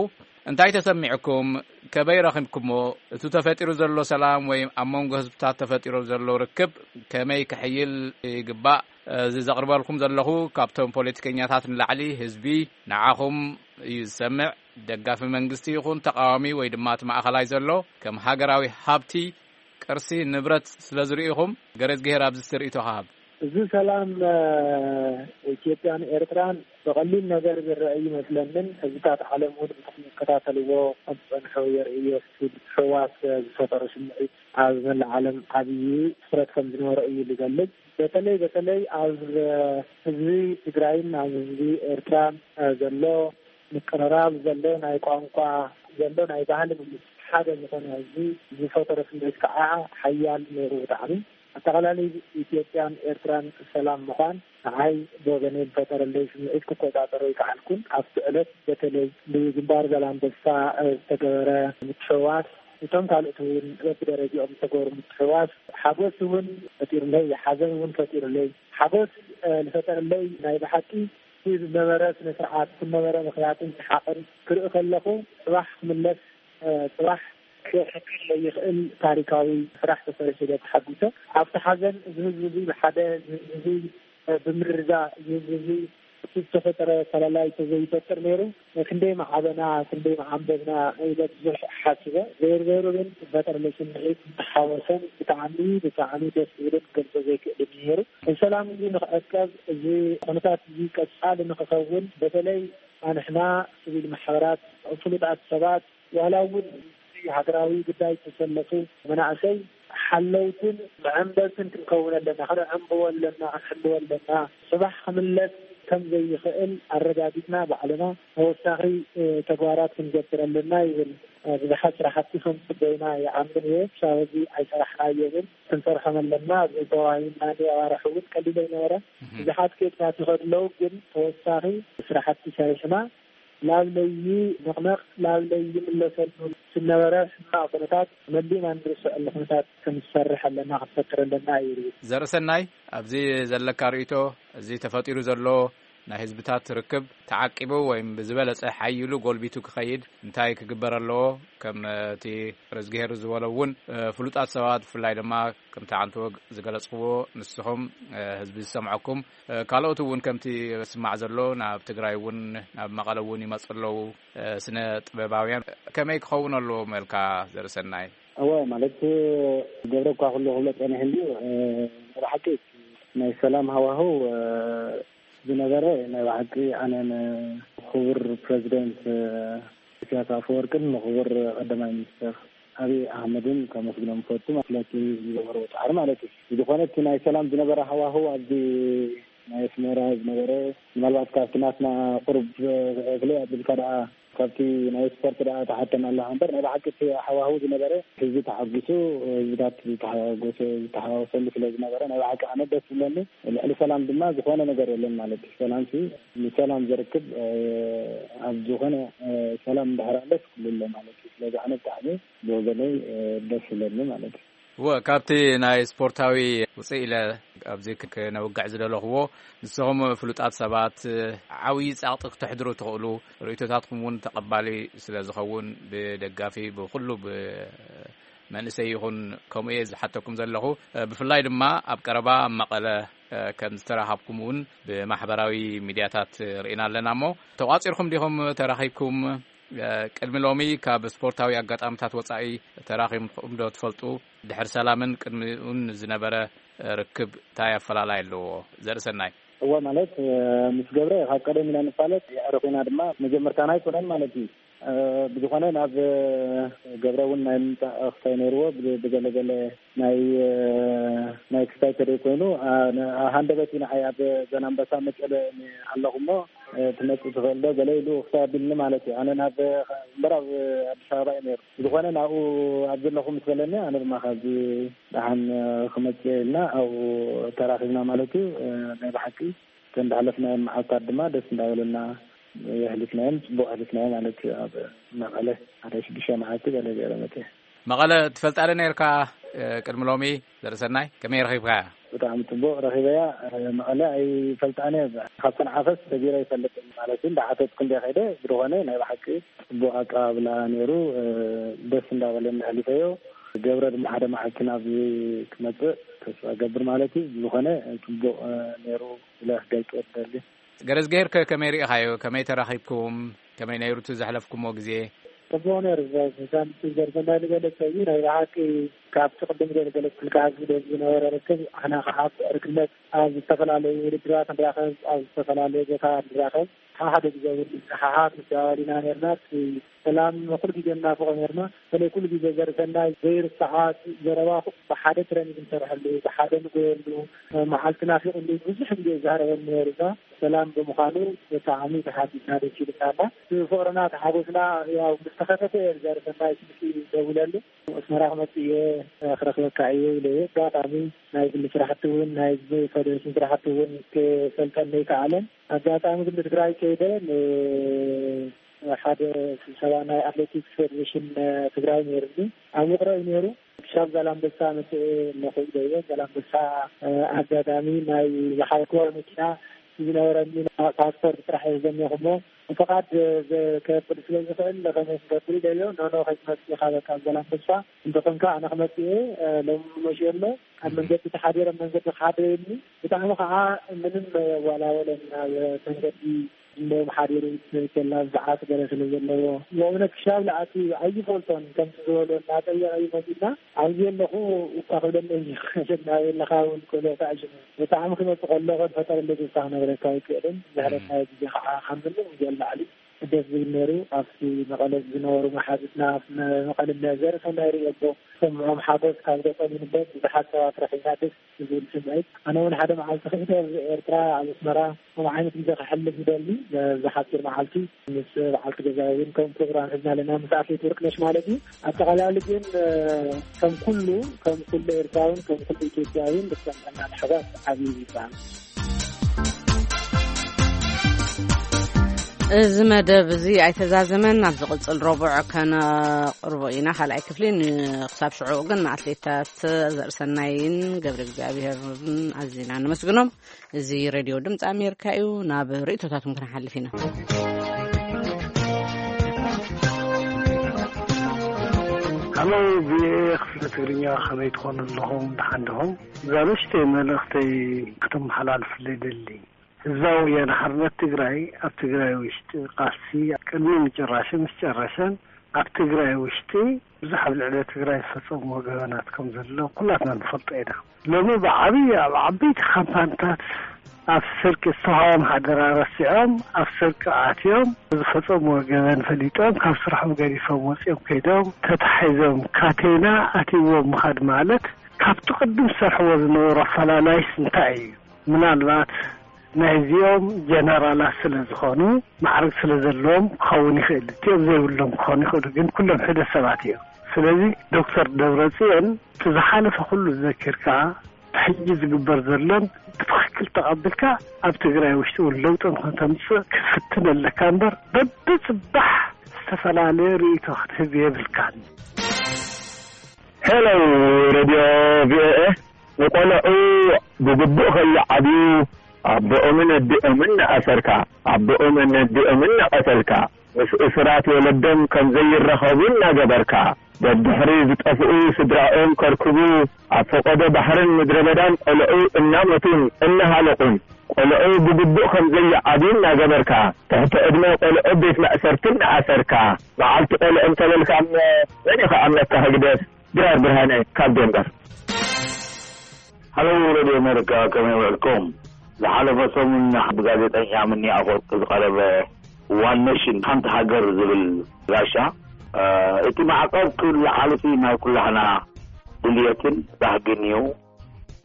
እንታይ ተሰሚዕኩም? ከመይ ረኺብኩሞ? እቱ ተፈጢሩ ዘሎ ሰላም ወይ ኣብ መንጎ ህዝብታት ተፈጢሩ ዘሎ ርክብ ከመይ ክሕይል ይግባእ? እዚ ዘቕርበልኩም ዘለኹ ካብቶም ፖለቲከኛታት ንላዕሊ ህዝቢ ንዓኹም እዩ ዝሰምዕ። ደጋፊ መንግስቲ ይኹን ተቃዋሚ ወይ ድማ እቲ ማእኸላይ ዘሎ ከም ሃገራዊ ሃብቲ ቅርሲ ንብረት ስለ ዝርኢኹም ገረዝግሄር ኣብዚ ትርኢቶ ክሃብ። እዚ ሰላም፣ እ፣ ኢትዮጵያን ኤርትራን ብቐሊል ነገር ዝረአ ይመስለንን ህዝብታት ዓለም እውን ብዝከታተልዎ ከም ዝጸንሑ የርእዮ። እቲ ምትሕውዋስ፣ እ፣ ዝፈጠሮ ስምዒት ኣብ መላእ ዓለም ዓብዪ ትኹረት ከም ዝነበሮ እዩ ዝገልጽ። በተለይ፣ በተለይ ኣብ፣ እ፣ ህዝቢ ትግራይን ኣብ ህዝቢ ኤርትራን፣ እ፣ ዘሎ ምቅርራብ፣ ዘሎ ናይ ቋንቋ፣ ዘሎ ናይ ባህሊ ምምስ ሓደ ዝኾነ ህዝቢ ዝፈጠሮ ስምዒት ከዓ ሓያል ነይሩ ብጣዕሚ። ኣጠቓላሊ ኢትዮጵያን ኤርትራን ሰላም ምዃን ንዓይ ብወገነይ ዝፈጠረለይ ስምዒት ክቆጻጸሮ ኣይከኣልኩን። ኣብቲ ዕለት በተለይ ብግንባር ዛላምበሳ፣ እ፣ ዝተገበረ ምትሕውዋስ፣ እቶም ካልኦት እውን በብደረጃኦም ዝተገበሩ ምትሕውዋስ ሓጎስ እውን ፈጢሩለይ፣ ሓዘን እውን ፈጢሩለይ። ሓጎስ፣ እ፣ ዝፈጠረለይ ናይ ብሓቂ እቲ ዝነበረ ስነ ስርዓት፣ እቲ ዝነበረ ምኽያትን ሰሓቕን ክርኢ ከለኹ፣ ጽባሕ ክምለስ፣ እ፣ ጽባሕ ክሕክል ዘይኽእል ታሪካዊ ስራሕ ተሰሪሑ ኢለ ተሓጒሰ። ኣብቲ ሓዘን እዚ ህዝቢ እዚ ብሓደ፣ እዚ ህዝቢ እዚ፣ እ፣ ብምርድዳእ፣ እዚ ህዝቢ እዚ እቲ ዝተፈጠረ ፈላላይ ተዘይፈጥር ነይሩ፣ ክንደይ ምዓበና፣ ክንደይ ምዓንበብና ኢለ ብዙሕ ሓሲበ። ዘይሩ ዘይሩ ግን ዝፈጠረለይ ስምዒት ዝተሓወሰን ብጣዕሚ፣ ብጣዕሚ ደስ ዝብልን ክገልጾ ዘይክእልን እዩ ነይሩ። እዚ ሰላም እዚ ንኽዕቀብ፣ እዚ ኩነታት እዚ ቀጻሊ ንኽኸውን፣ በተለይ ኣንሕና ሲቪል ማሕበራት፣ ፍሉጣት ሰባት፣ ዋላ እውን እዚ ሃገራዊ ጉዳይ ዝተሰለፉ መናእሰይ ሓለውትን መዐንበብትን ክንከውን ኣለና፣ ክንዕንብቦ ኣለና፣ ክንሕልዎ ኣለና። ጽባሕ ክምለስ ከም ዘይኽእል ኣረጋጊጽና ባዕልና ተወሳኺ፣ እ፣ ተግባራት ክንገብር ኣለና ይብል። እ፣ ብዙሓት ስራሕቲ ከም ጽበዩና ይኣምን እየ። ክሳብ ሕዚ ኣይሰራሕናዮምን። ክንሰርሖም ኣለና። ኣብዚ ተዋሂብና ኣዋርሕ እውን ቀሊል ኣይነበረ። እህ። ብዙሓት ኬድታት ይኸዱ ኣለዉ፣ ግን ተወሳኺ ስራሕቲ ሰሪሕና ላብ ለይንቕነቕ፣ ላብ ለይምለሰሉ ዝነበረ ሕማቕ ኩነታት መሊእና እንርስዐሉ ኩነታት ክንሰርሕ ኣለና፣ ክንፈጥር ኣለና እዩ ዝብል። ዘርእሰናይ፣ ኣብዚ ዘለካ ርእይቶ፣ እዚ ተፈጢሩ ዘሎ ናይ ህዝብታት ርክብ ተዓቂቡ ወይም ብዝበለጸ ሓይሉ ጎልቢቱ ክኸይድ እንታይ ክግበር ኣለዎ? ከም እቲ ርዝግሄር ዝበሎ እውን፣ እ፣ ፍሉጣት ሰባት ብፍላይ ድማ ከምቲ ዓንተወግ ዝገለጽክዎ ንስኹም፣ እ፣ ህዝቢ ዝሰምዐኩም፣ እ፣ ካልኦት እውን ከምቲ ዝስማዕ ዘሎ ናብ ትግራይ እውን ናብ መቐለ እውን ይመጹ ኣለዉ፣ እ፣ ስነ ጥበባውያን ከመይ ክኸውን ኣለዎም ኢልካ ዘርእሰናይ? እወ፣ ማለት ገብረ እኳ ኩሉ ክብሎ ጸኒሑ እንድዩ፣ እ፣ ብሓቂ ናይ ሰላም ሃዋህው፣ እ፣ ዝነበረ ናይ ብሓቂ ኣነ ንክቡር ፕረዚደንት፣ እ፣ ኢሳያስ ኣፈወርቅን ንክቡር ቀዳማይ ሚኒስትር ኣብይ ኣሕመድን ከመስግኖም እፈቱ፣ ማለት ዝገበሮ ጻዕሪ ማለት እዩ። ዝኾነ እቲ ናይ ሰላም ዝነበረ ሃዋህው ኣብዚ ናይ ኣስመራ ዝነበረ፣ ምናልባት ካብቲ ናትና ቁሩብ፣ እ፣ ፍለይ ኣቢልካ ደኣ ካብቲ ናይ ስፖርት ደኣ ተሓተና ኣለኻ እምበር፣ ናይ ብሓቂ እቲ ሃዋህው ዝነበረ ህዝቢ ተሓጒሱ፣ ህዝብታት ዝተሓጎሰ፣ ዝተሓዋወሰሉ ስለ ዝነበረ ናይ ብሓቂ ኣነ ደስ ዝብለኒ። ልዕሊ ሰላም ድማ ዝኾነ ነገር የለን ማለት እዩ። ሰላምሲ ንሰላም ዘርክብ፣ እ፣ ኣብ ዝኾነ፣ እ፣ ሰላም እንድሕር ኣለስ ኩሉ ኣሎ ማለት እዩ። ስለዚ ኣነ ብጣዕሚ ብወገነይ፣ እ፣ ደስ ይብለኒ ማለት እዩ። እወ፣ ካብቲ ናይ ስፖርታዊ ውፅእ ኢለ ኣብዚ ክ-፣ ክነውግዕ ዝደለኽዎ፣ ንስኹም ፍሉጣት ሰባት ዓብዪ ጸቕጢ ክተሕድሩ ትኽእሉ፣ ርእይቶታትኩም እውን ተቐባሊ ስለ ዝኸውን ብደጋፊ ብኹሉ ብመንእሰይ ይኹን ከምኡ እየ ዝሓተኩም ዘለኹ። ብፍላይ ድማ ኣብ ቀረባ ኣብ መቐለ ከም ዝተራኸብኩም እውን ብማሕበራዊ ሚድያታት ርኢና ኣለና። እሞ ተቋጺርኩም ዲኹም ተራኺብኩም? ቅድሚ ሎሚ ካብ ስፖርታዊ ኣጋጣሚታት ወጻኢ ተራኺብኩም ዶ ትፈልጡ? ድሕሪ ሰላምን ቅድሚኡን ዝነበረ ርክብ እንታይ ኣፈላላይ ኣለዎ? ዘርእሰናይ። እወ፣ ማለት፣ እ፣ ምስ ገብረ ካብ ቀደም ኢና ንፋለጥ፣ የዕሩኽ ኢና ድማ፣ መጀመርታና ኣይኮነን ማለት እዩ። እ፣ ብዝኾነ ናብ፣ እ፣ ገብረ እውን ናይ ምምጻእ ክሳይ ነይርዎ፣ ብ-፣ ብገለገለ ናይ፣ እ፣ ናይ ክሳይ ተደይ ኮይኑ፣ ኣ፣ ነ-፣ ኣ፣ ሃንደበት እዩ ንዓይ ኣብ ዘናንበሳ መቀለ ኣለኹ እሞ፣ እ፣ ትመጽእ ትኽእል ዶ ገለ ኢሉ ክሳይ ኣቢልኒ ማለት እዩ። ኣነ ናብ፣ እምበር ኣብ ኣዲስ ኣበባ እዩ ነይሩ። ብዝኾነ ናብኡ ኣብ ዘለኹ ምስ በለኒ፣ ኣነ ድማ ካብዚ ደሓን ክመጽእ ኢልና ኣብኡ ተራኺብና ማለት እዩ። ናይ ብሓቂ እተን ዝሓለፍናየን መዓልታት ድማ ደስ እንዳበለና የሕሊፍናየን፣ ጽቡቕ ኣሕሊፍናዮ ማለት እዩ። ኣብ መቐለ ሓደ ሽዱሽተ መዓልቲ ገለ ገይረ መጽየ። መቐለ ትፈልጣ ዶ ነርካ? ቅድሚ ሎሚ ዘርእሰናይ ከመይ ረኺብካያ? ብጣዕሚ ጽቡቕ ረኺበያ። መቐለ ኣይፈልጣን እየ። ካብ ሰንዓፈስ ሰጊረ ኣይፈልጥን ማለት እዩ። እንዳሓተትኩ እንደ ከይደ ብዝኾነ ናይ ብሓቂ ጽቡቕ ኣቀባብላ ነይሩ። ደስ እንዳበለኒ ኣሕሊፈዮ። ገብረ ድማ ሓደ መዓልቲ ናብዚ ክመጽእ ተስፋ ገብር ማለት እዩ። ዝኾነ ጽቡቕ ነይሩ ኢለ ክገልጾ እደሊ። ገረዝግሄር ከ ከመይ ርኢኻዮ? ከመይ ተራኺብኩም? ከመይ ነይሩ እቲ ዘሕለፍኩሞ ግዜ? ጽቡቕ ነይሩ። ዘ-፣ ዘ-፣ ዘርዘናይ ዝገለጸ እዩ። ናይ ብሓቂ ካብቲ ቅድም ገለ ገለጽኩልካ ኣብዚ ዝነበረ ርክብ፣ ኣና ከዓ ብዕርክነት ኣብ ዝተፈላለዩ ውድድራት ንራኸብ፣ ኣብ ዝተፈላለዩ ቦታ ንራኸብ። ሓደ ግዜ እውን ንሰሓሓት ንደዋወል ኢና ነርና። እቲ ሰላም ኩሉ ግዜ ንናፍቖ ነርና። በተለይ ኩሉ ግዜ ዘርእሰናይ ዘይርሳዓ ዘረባ ብሓደ ትረኒግ ንሰርሐሉ፣ ብሓደ ንጎየሉ፣ መዓልቲ ናፊቑሉ ብዙሕ ግዜ ዘዕረበኒ ነይሩ። እዛ ሰላም ብምዃኑ ብጣዕሚ ተሓጒስና ደስ ኢሉና ኣሎ። ፍቕርና ተሓጎስና ያው ምስ ተኸፈተ እየ ዘርእሰናይ ስልኪ ደውለሉ። ኣስመራ ክመጽእ እየ፣ ክረኽበካ እየ ኢለ እየ። ኣጋጣሚ ናይ ግሊ ስራሕቲ እውን ናይ ፈደረሽን ስራሕቲ እውን ክፈልጠለይ ከኣለን። ኣጋጣሚ ግን ንትግራይ ከይደ ን-፣ ሓደ ስብሰባ ናይ ኣትሌቲክስ ፌደሬሽን ትግራይ ነይሩኒ። ኣብ ውቕሮ እዩ ነይሩ። ክሻብ ዛላምበሳ መፅእ እሞ ከይደ እየ። ዛላምበሳ ኣጋጣሚ ናይ ዝሓዝክዋ መኪና ዝነበረኒ ፓስፖርት ጥራሕ እየ ዘሚኹሞ። ፍቓድ ዘከብል ስለ ዝኽእል ከመይ ክገብር ኢለዮ። ኖኖ ከይትመፅእ ኢኻ በቃ ዛላምበሳ እንተኾንካ ኣነ ክመፅእ እየ። ሎሚ መሽዮ ኣሎ ኣብ መንገዲ ተሓዲረ መንገዲ ክሓድረኒ ብጣዕሚ ከዓ ምንም የዋላወለን። ኣብ መንገዲ እሞ ሓዲሩ ከላ ሰዓት ገለ ስለ ዘለዎ ብእውነት ክሻብ ለኣቲ ኣይፈልጦን ከምቲ ዝበሎ እናጠየቐ እዩ መፂና ኣብዚ ኣለኹ እኳ ክብለኒ ኣይኽእልን። ኣበይ ኣለኻ እውን ክብሎ ተኣሽሙ ብጣዕሚ ክመፅእ ከሎ ከንፈጠረለይ ተስፋ ክነግረካ ኣይክእልን። ዝሕረናዮ ግዜ ከዓ ካብ ምንም ግዜ ንላዕሊ ደስ ዝብል ነይሩ። ኣብቲ መቐለ ዝነበሩ መሓዙትና መቐለ ዘርኢ ሰናይ ርእየቦ ሰምዖም ሓጎስ ካብ ገጠም ይንበብ ብዙሓት ሰባት ረኺብና ደስ ዝብል ስምዒት። ኣነ እውን ሓደ መዓልቲ ክእደ ኣብ ኤርትራ ኣብ ኣስመራ ከምኡ ዓይነት ግዜ ከሕልፍ ይደሊ። ነዚ ሓፂር መዓልቲ ምስ በዓልቲ ገዛ እውን ከም ፕሮግራም ሒዝና ኣለና ምስ ኣትሌት ወርቅነሽ ማለት እዩ። ኣጠቓላሊ ግን ከም ኩሉ ከም ኩሉ ኤርትራውን ከም ኩሉ ኢትዮጵያውን ብሰምዕና ምሕጓስ ዓብዪ ይበሃል። እዚ መደብ እዚ ኣይተዛዘመን፣ ኣብ ዝቕጽል ረቡዕ ከነቕርቦ ኢና። ካልኣይ ክፍሊ ን-፣ ክሳብ ሽዑ ግን ንኣትሌታት ዘርእሰናይን ገብረ እግዚኣብሔርን ኣዚና ነመስግኖም። እዚ ሬድዮ ድምፂ ኣሜሪካ እዩ። ናብ ርእይቶታትኩም ክንሓልፍ ኢና። ሃሎ፣ ቪኦኤ ክፍሊ ትግርኛ፣ ከመይ ትኾኑ ኣለኹም? ደሓን ዲኹም? እዛ ንእሽተይ መልእኽተይ ክትመሓላልፍለይ ደሊ። ህዝባዊ ወያነ ሓርነት ትግራይ ኣብ ትግራይ ውሽጢ ቃልሲ ቅድሚ ምጭራሹ ምስ ጨረሸን ኣብ ትግራይ ውሽጢ ብዙሕ ኣብ ልዕሊ ትግራይ ዝፈጸምዎ ገበናት ከም ዘሎ ኩላትና ንፈልጦ ኢና። ሎሚ ብዓብዪ ኣብ ዓበይቲ ካምፓንታት ኣብ ስርቂ ዝተዋህቦም ሓደራ ረሲዖም ኣብ ስርቂ ኣትዮም ዝፈጸምዎ ገበን ፈሊጦም ካብ ስርሖም ገዲፎም ወጺኦም ከይዶም ተታሒዞም ካቴና ኣትይዎም ምኻድ ማለት ካብቲ ቅድም ዝሰርሕዎ ዝነበሩ ኣፈላላይስ እንታይ እዩ? ምናልባት ናይዚኦም ጀነራላት ስለ ዝኾኑ ማዕረግ ስለ ዘለዎም ክኸውን ይኽእል፣ እቲኦም ዘይብሎም ክኾኑ ይኽእሉ፣ ግን ኩሎም ሕደ ሰባት እዮም። ስለዚ ዶክተር ደብረጽዮን እቲ ዝሓለፈ ኩሉ ዘኪርካ ሕጂ ዝግበር ዘሎን ብትኽክል ተቐቢልካ ኣብ ትግራይ ውሽጢ እውን ለውጢ ንክተምፅእ ክትፍትን ኣለካ እምበር በብፅባሕ ዝተፈላለየ ርእይቶ ክትህብ የብልካን። ሄሎ፣ ሬድዮ ቪኦኤ። ንቆልዑ ብግቡእ ከይዓብዩ ኣቦኦምን ኣዲኦምን እናኣሰርካ፣ ኣቦኦምን ኣዲኦምን እናቐተልካ፣ ምስ እሱራት ወለዶም ከም ዘይራኸቡ እናገበርካ፣ ደድሕሪ ዝጠፍኡ ስድራኦም ከርክቡ ኣብ ፈቐዶ ባሕርን ምድረ በዳን ቆልዑ እናመቱን እናሃለቑን፣ ቆልዑ ብግቡእ ከም ዘይዓብዩ እናገበርካ፣ ትሕቲ ዕድመ ቆልዑ ቤት ማእሰርቲ እናኣሰርካ፣ መዓልቲ ቆልዑ እንተበልካ መን እዩ ክኣምነካ? ህግደፍ ድራር ብርሃነ ካብ ደንበር። ሃሎ ሬድዮ ኣሜሪካ፣ ከመይ ውዕልኩም? ዝሓለፈ ሰሙን ብጋዜጠኛ ምኒ ኣፈወርቂ ዝቐረበ ዋን ኔሽን፣ ሓንቲ ሃገር ዝብል ጋሻ፣ እ፣ እቲ ማዕቀብ ክልዓል እቲ ናይ ኩላህና ድልየትን ባህግን እዩ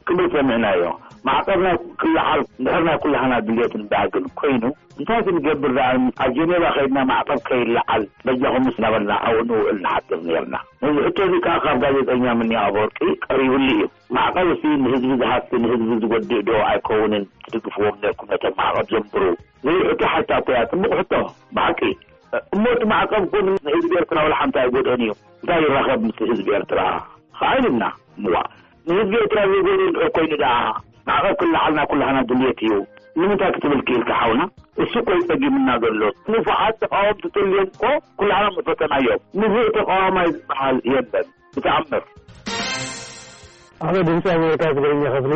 ክብል ሰሚዕናዮ። ማዕቀብ ናይ ክልዓል እንድሕር ናይ ኩላህና ድልየትን ባህግን ኮይኑ፣ እንታይ ክንገብር ደኣ? ኣብ ጀኔቫ ከይድና ማዕቀብ ከይለዓል በጃኹምስ እናበልና ኣብኡ ንውዕል ንሓድር ነርና። ነዚ ሕቶ እዚ ከኣ ካብ ጋዜጠኛ ምኒ ኣፈወርቂ ቀሪብሉ እዩ። ማዕቀብ እዚ ንህዝቢ ዝሃሲ ንህዝቢ ዝጎድእ ዶ ኣይከውንን? ትድግፍዎም ነርኩም ነቶም ማዕቀብ ዘንብሩ ዝብል ሕቶ ሓታ እኮ እያ። ጽቡቕ ሕቶ ብሓቂ። እሞ እቲ ማዕቀብ እኮ ንህዝቢ ኤርትራ ወላ ሓንቲ ኣይጎድኦን እዩ። እንታይ ይራኸብ ምስ ህዝቢ ኤርትራ? ኸዓ ኢልና እምዋ ንህዝቢ ኤርትራ ዘይጎድኦ እንድሕር ኮይኑ ደኣ ማዕቀብ ክለዓልና ኩላህና ድልየት እዩ። ንምንታይ ክትብል ክኢልካ ሓውና? እሱ እኮ እዩ ጸጊምና ዘሎ። ንፉዓት ተቃወምቲ ተልዮም እኮ ኩላህና ምፈተናዮም። ንፉዕ ተቃዋማይ ዝበሃል የለን። ብተኣምር። ኣነ ድምፂ ኣሜሪካ ትግርኛ ክፍሊ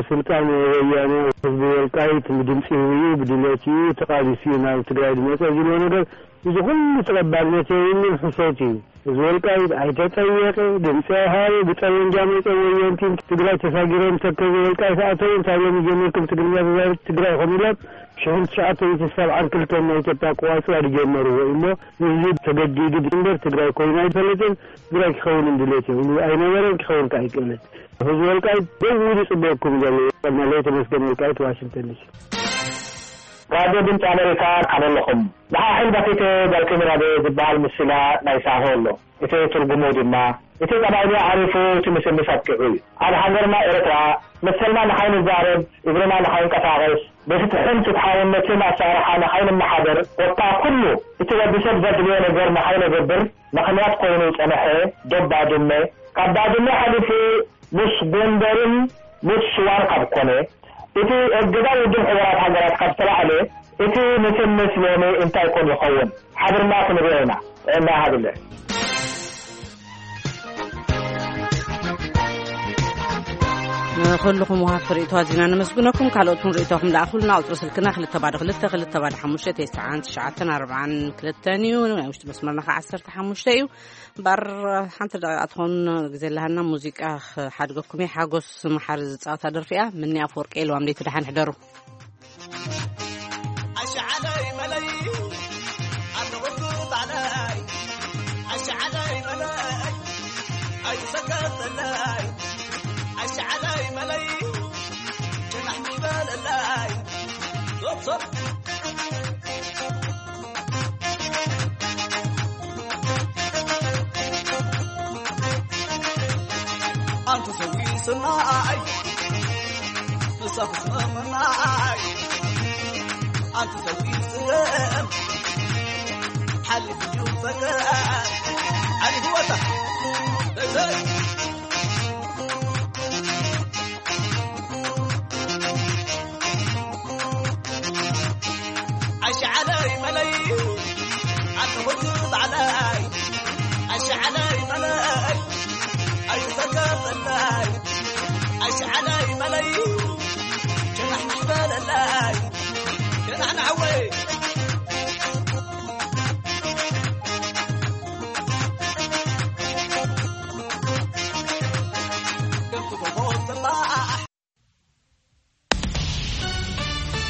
ስልጣን ወያነ ህዝቢ ወልቃይት ብድምፂ ህቡ እዩ፣ ብድሌት እዩ፣ ተቃሊሱ እዩ ናብ ትግራይ ዝመፀ ዝብሎ ነገር እዚ ኩሉ ተቐባልነት የብሉን፣ ሕሶት እዩ። ህዝቢ ወልቃይት ኣይተጠየቀ፣ ድምፂ ኣይሃበ፣ ብጠመንጃ መፀ ወየንቲ ትግራይ ተሳጊሮም ተከዘ ወልቃይት ኣተው እንታይ ሎም ጀሚርኩም ትግርኛ ተዛረብቲ ትግራይ ኢኹም ኢሎም ሽሕን ትሽዓተ ሚእትን ሰብዓን ክልተን ናይ ኢትዮጵያ ኣቆፃፅራ ዝጀመርዎ እሞ ህዝቢ ተገዲዱ እምበር ትግራይ ኮይኑ ኣይፈልጥን። ትግራይ ክኸውን ድሌት የብሉ ኣይነበረን፣ ክኸውን ከኣ ኣይክእልን። ህዝቢ ወልቃይት ደው ኢሉ ይጽበየኩም ዘሎ። መለይ ተመስገን፣ ወልቃይት፣ ዋሽንግተን ዲሲ። ራድዮ ድምፂ ኣሜሪካ፣ ከመይ ኣለኹም? ደሓን ሕልበፊት ዳልክን ራድዮ ዝበሃል ምስላ ናይ ሳሆ ኣሎ። እቲ ትርጉሙ ድማ፣ እቲ ቀባይልያ ዓሪፉ፣ እቲ ምስምስ ኣብቂዑ እዩ። ኣብ ሃገርና ኤርትራ፣ መሰልና ንኸይንዛረብ፣ እግርና ንኸይንቀሳቐስ፣ ብፍትሕን ፍትሓውነትን ኣሰራርሓ ንኸይንመሓደር፣ ወታ ኩሉ እቲ ወዲ ሰብ ዘድልዮ ነገር ንኸይነገብር ምኽንያት ኮይኑ ዝጸንሐ ዶብ ባድመ፣ ካብ ባድመ ሓሊፉ ምስ ጎንደርን ምስ ሽዋን ካብ ኮነ፣ እቲ እገዳ ውድብ ሕቡራት ሃገራት ካብ ዝተላዕለ፣ እቲ ምስምስ ሎሚ እንታይ ኮን ይኸውን? ሓቢርና ክንሪኦ ኢና። ጥዕና ይሃብለ። ንኹልኹም ወሃብቲ ርእይቶ ኣዚና ነመስግነኩም። ካልኦት እውን ርእይቶኹም ለኣኹልና። ቁጽሪ ስልክና ክልተ ባዶ ክልተ፣ ክልተ ባዶ ሓሙሽተ፣ ተስዓን ትሽዓተን ኣርባዓን ክልተን እዩ። ናይ ውሽጢ መስመርና ኸዓ ዓሰርተ ሓሙሽተ እዩ። እምበኣር ሓንቲ ደቂቓ ትኾን ግዜ ኣለሃና። ሙዚቃ ክሓድገኩም እየ። ሓጎስ መሓሪ ዝጻወታ ደርፊ እያ። ምኒ ኣፈወርቂ ኢልዋ፣ ምንደይቲ ደሓን ሕደሩ። ኣሽዓለይ መለይ፣ ኣለኹ ባዕለይ። ኣሽዓለይ መለይ፣ ኣይትሰከፍለይ። ኣሽዓለይ መለይ፣ ጭናሕ ይበለለይ። ሶፍ ሶፍ። ኣንተ ሰዊ ሰናይ፣ ንሳብ ሰናይ። ሓሊፉ እዩ ጸገም፣ ሓሊፉ እዩ ጸገም፣ ሓሊፉ ወታ። ኣሽዓለይ መለይ፣ ኣንተ ወዲ ባዕላይ። ኣሽዓለይ መለይ፣ ኣይትጸገም በላይ። ኣሽዓለይ መለይ፣